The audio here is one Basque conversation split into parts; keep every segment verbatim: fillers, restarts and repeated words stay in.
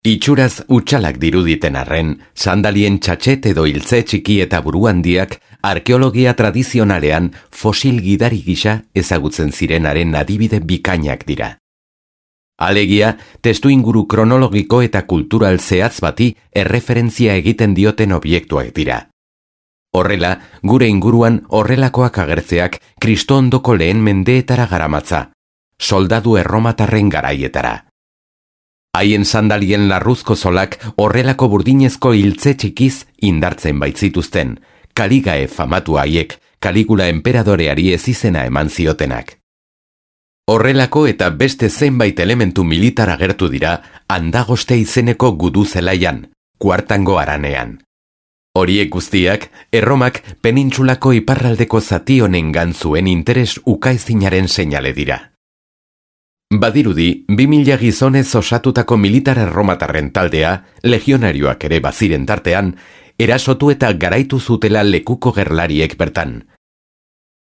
Itxuraz utxalak diruditen arren, sandalien txatxet edo hiltze txiki eta buru handiak arkeologia tradizionalean fosil gidari gisa ezagutzen zirenaren adibide bikainak dira. Alegia, testuinguru kronologiko eta kultural zehatz bati erreferentzia egiten dioten objektuak dira. Horrela, gure inguruan horrelakoak agertzeak Kristo ondoko lehen mendeetara garamatza, soldadu erromatarren garaietara. Haien sandalien larruzko zolak horrelako burdinezko hiltze txikiz indartzen baitzituzten, Kaligae famatu haiek, Kaligula enperadoreari ezizena eman ziotenak. Horrelako eta beste zenbait elementu militar agertu dira Andagoste izeneko gudu zelaian, Kuartango haranean. Horiek guztiak, Erromak penintsulako iparraldeko zati honengan zuen interes ukaezinaren seinale dira. Badirudi, bi mila gizonez osatutako militar erromatarren taldea, legionarioak ere baziren tartean, erasotu eta garaitu zutela lekuko gerlariek bertan.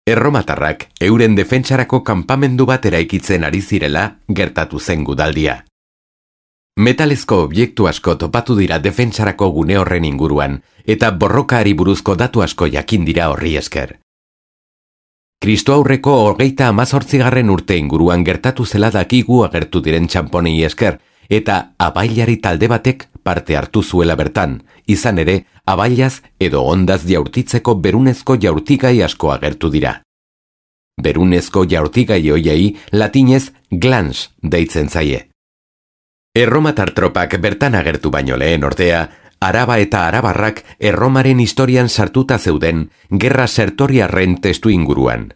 Erromatarrak euren defentsarako kanpamendu bat eraikitzen ari zirela gertatu zen gudaldia. Metalezko objektu asko topatu dira defentsarako gune horren inguruan, eta borrokaari buruzko datu asko jakin dira horri esker. Kristo aurreko hogeita hamazortzigarren urte inguruan gertatu zela dakigu agertu diren txamponei esker, eta abailari talde batek parte hartu zuela bertan, izan ere, abailaz edo ondaz jaurtitzeko berunezko jaurtigai asko agertu dira. Berunezko jaurtigai hoiei latinez glans deitzen zaie. Erromatar tropak bertan agertu baino lehen ordea, Araba eta arabarrak Erromaren historian sartuta zeuden gerra sertoriarren testu inguruan.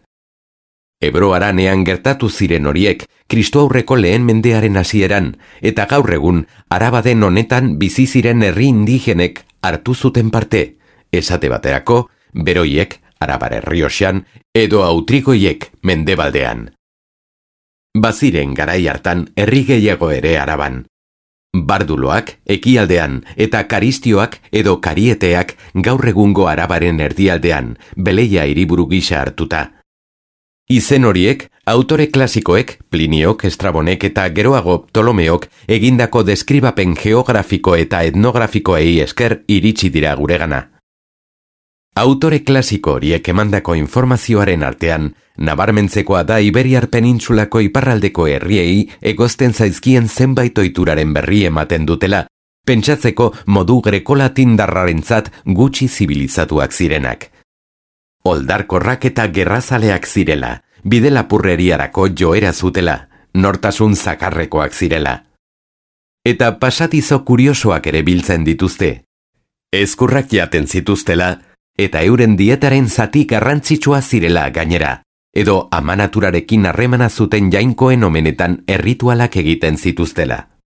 Ebro haranean gertatu ziren horiek Kristo aurreko lehen mendearen hasieran, eta gaur egun Arabaden honetan bizi ziren herri indigenek hartu zuten parte, esate baterako, beroiek, Arabar Errioxan, edo autrigoiek mendebaldean. Baziren garai hartan herri gehiago ere Araban. Barduloak, ekialdean, eta karistioak edo karieteak gaur egungo Arabaren erdialdean, Beleia hiriburu gisa hartuta. Izen horiek, autore klasikoek, Pliniok, Estrabonek eta geroago Ptolomeok egindako deskribapen geografiko eta etnografikoei esker iritsi dira guregana. Autore klasiko horiek emandako informazioaren artean, nabarmentzekoa da Iberiar penintsulako iparraldeko herriei egozten zaizkien zenbait ohituraren berri ematen dutela, pentsatzeko modu grekolatindarrarentzat gutxi zibilizatuak zirenak. Oldarkorrak eta gerrazaleak zirela, bide lapurreriarako joera zutela, nortasun zakarrekoak zirela. Eta pasatizo kuriosoak ere biltzen dituzte. Ezkurrak jaten zituztela, eta euren dietaren zati garrantzitsua zirela gainera, edo amanaturarekin harremana zuten jainkoen omenetan erritualak egiten zituztela.